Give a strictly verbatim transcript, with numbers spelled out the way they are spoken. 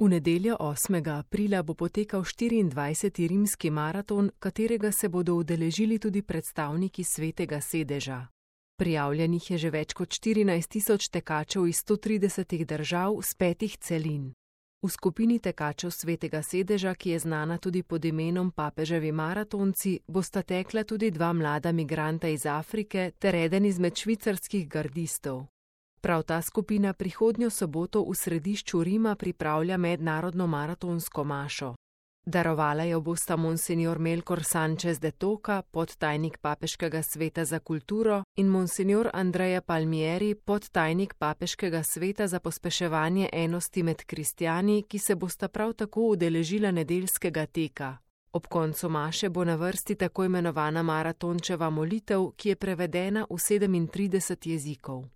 V nedeljo osmega aprila bo potekal štiriindvajseti rimski maraton, katerega se bodo udeležili tudi predstavniki Svetega sedeža. Prijavljenih je že več kot štirinajst tisoč tekačev iz sto tridesetih držav s petih celin. V skupini tekačev Svetega sedeža, ki je znana tudi pod imenom Papeževi maratonci, bosta tekla tudi dva mlada migranta iz Afrike ter eden izmed švicarskih gardistov. Prav ta skupina prihodnjo soboto v središču Rima pripravlja mednarodno maratonsko mašo. Darovala jo bosta monsinjor Melkor Sanchez de Toca, podtajnik Papeškega sveta za kulturo, in monsinjor Andrea Palmieri, podtajnik Papeškega sveta za pospeševanje enosti med kristjani, ki se bosta prav tako udeležila nedeljskega teka. Ob koncu maše bo na vrsti tako imenovana maratončeva molitev, ki je prevedena v sedemintrideset jezikov.